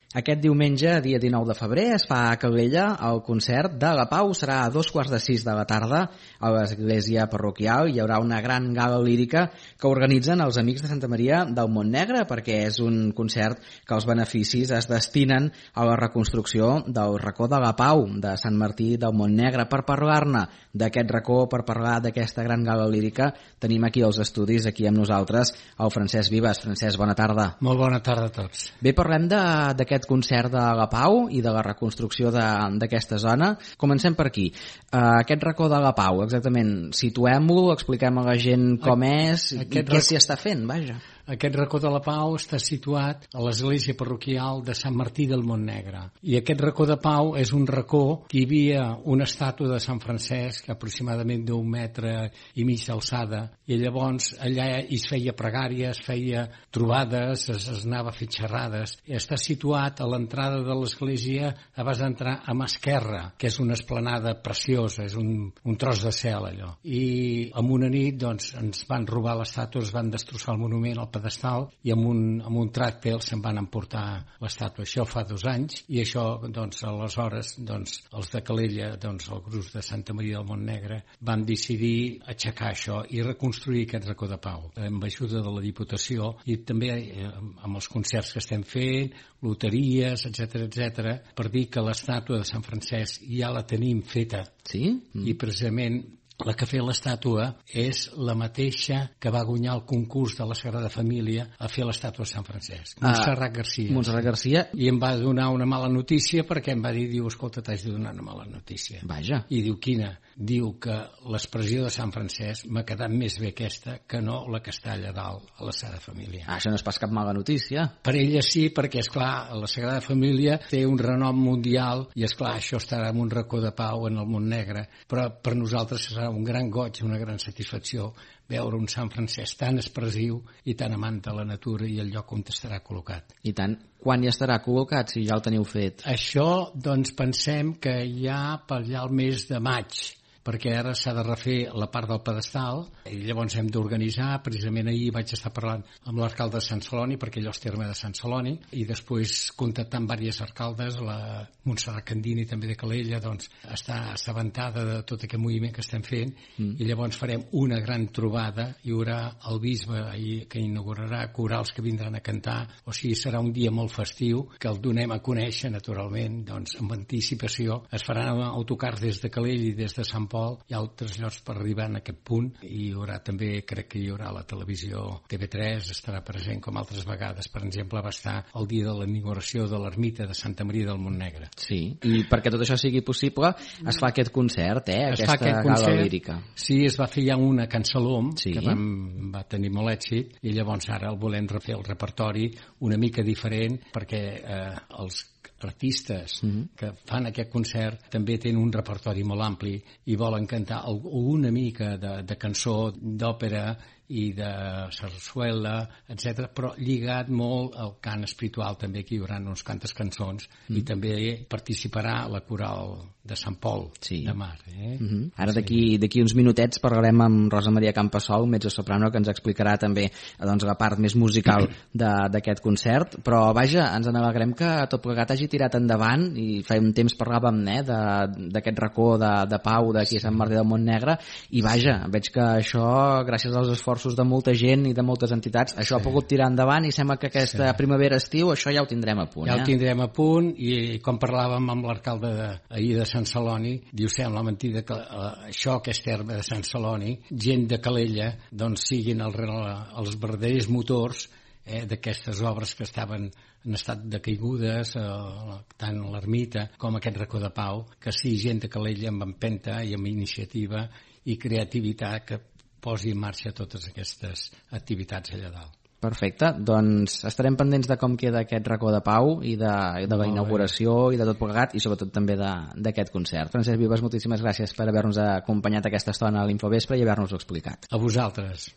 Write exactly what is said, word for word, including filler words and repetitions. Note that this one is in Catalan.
Aquest diumenge, dia dinou de febrer, es fa a Calella el concert de la Pau. Serà a dos quarts de sis de la tarda a l'església parroquial. Hi haurà una gran gala lírica que organitzen els Amics de Santa Maria del Montnegre, perquè és un concert que els beneficis es destinen a la reconstrucció del racó de la Pau de Sant Martí del Montnegre. Per parlar-ne d'aquest racó, per parlar d'aquesta gran gala lírica, tenim aquí als estudis, aquí amb nosaltres, el Francesc Vives. Francesc, bona tarda. Molt bona tarda a tots. Bé, parlem d'aquest concert de la Pau i de la reconstrucció d'aquesta zona. Comencem per aquí. Uh, aquest racó de la Pau, exactament, situem-ho, expliquem a la gent com a, és i què racó... s'hi està fent, vaja. Aquest racó de la Pau està situat a l'església parroquial de Sant Martí del Montnegre. I aquest racó de Pau és un racó que hi havia una estàtua de Sant Francesc aproximadament d'un metre i mig d'alçada, i llavors allà es feia pregària, es feia trobades, es, es anava a fer xerrades. I està situat a l'entrada de l'església abans d'entrar a mà esquerra, que és una esplanada preciosa, és un, un tros de cel allò. I en una nit doncs, ens van robar l'estàtua, es van destrossar el monument, el pedestal, i amb un, amb un tractel se'n van emportar l'estàtua. Això fa dos anys, i això, doncs, aleshores, doncs, els de Calella, doncs, el grup de Santa Maria del Montnegre, van decidir aixecar això i reconstruir aquest racó de Pau, amb ajuda de la Diputació, i també eh, amb els concerts que estem fent, loteries, etcètera, etcètera, per dir que l'estàtua de Sant Francesc ja la tenim feta. Sí? Mm. I precisament la que ha fet l'estàtua és la mateixa que va guanyar el concurs de la Sagrada Família a fer l'estàtua de Sant Francesc, Montserrat Garcia. Montserrat Garcia. I em va donar una mala notícia perquè em va dir, diu, escolta, t'haig de donar una mala notícia. Vaja. I diu, quina? Diu que l'expressió de Sant Francesc m'ha quedat més bé aquesta que no la que està allà dalt a la Sagrada Família. Ah, això no és pas cap mala notícia. Per ella sí, perquè, esclar, la Sagrada Família té un renom mundial i, esclar, això estarà en un racó de Pau en el Montnegre, però per nosaltres serà un gran goig, una gran satisfacció veure un Sant Francesc tan expressiu i tan amant de la natura i el lloc on estarà col·locat. I tant. Quan hi estarà col·locat, si ja el teniu fet? Això, doncs, pensem que ja per allà al mes de maig, perquè ara s'ha de refer la part del pedestal i llavors hem d'organitzar. Precisament ahir vaig estar parlant amb l'alcalde de Sant Celoni, perquè allò és terme de Sant Celoni, i després contactant amb diversos alcaldes, la Montserrat Candini també de Calella, doncs està assabentada de tot aquest moviment que estem fent, mm. i llavors farem una gran trobada. Hi haurà el bisbe ahir que inaugurarà, corals que vindran a cantar, o sigui, serà un dia molt festiu que el donem a conèixer naturalment, doncs amb anticipació. Es faran autocars des de Calella i des de Sant Pol, hi ha altres llocs per arribar en aquest punt, i hi haurà també, crec que hi haurà la televisió T V tres, estarà present com altres vegades. Per exemple, va estar el dia de la inauguració de l'ermita de Santa Maria del Montnegre. Sí, i perquè tot això sigui possible es fa aquest concert, eh? Es aquesta aquest gala concert, lírica. Sí, es va fer ja una Cansalom, sí. que vam, va tenir molt èxit, i llavors ara el volem refer el repertori una mica diferent, perquè eh, els artistes mm-hmm. que fan aquest concert també tenen un repertori molt ampli i volen cantar una mica de, de cançó, d'òpera i de sarsuela, etcètera, però lligat molt al cant espiritual també, que hi haurà uns quantes cançons, mm. i també participarà la coral de Sant Pol, sí. de Mar. Eh? Mm-hmm. Ara d'aquí d'aquí uns minutets parlarem amb Rosa Maria Campasol, metge soprano, que ens explicarà també doncs, la part més musical d'aquest concert, però vaja, ens n'alegrem que tot plegat hagi tirat endavant, i fa un temps parlàvem eh, d'aquest racó de, de Pau d'aquí a Sant Martí del Montnegre, i vaja, veig que això, gràcies als esforços de molta gent i de moltes entitats, això sí. ha pogut tirar endavant, i sembla que aquesta sí. primavera-estiu això ja ho tindrem a punt. Ja eh? ho tindrem a punt, i com parlàvem amb l'alcalde ahir de Sant Celoni, diu, sembla mentida que uh, això que és terme de Sant Celoni, gent de Calella, doncs siguin el, els verdaders motors eh, d'aquestes obres que estaven en estat de caigudes, eh, tant l'ermita com aquest racó de Pau, que sí, gent de Calella amb empenta i amb iniciativa i creativitat que posi en marxa totes aquestes activitats allà dalt. Perfecte, doncs estarem pendents de com queda aquest racó de Pau i de, i de la inauguració i de tot plegat, i sobretot també d'aquest concert. Francesc Vives, moltíssimes gràcies per haver-nos acompanyat aquesta estona a l'Infovespre i haver-nos-ho explicat. A vosaltres.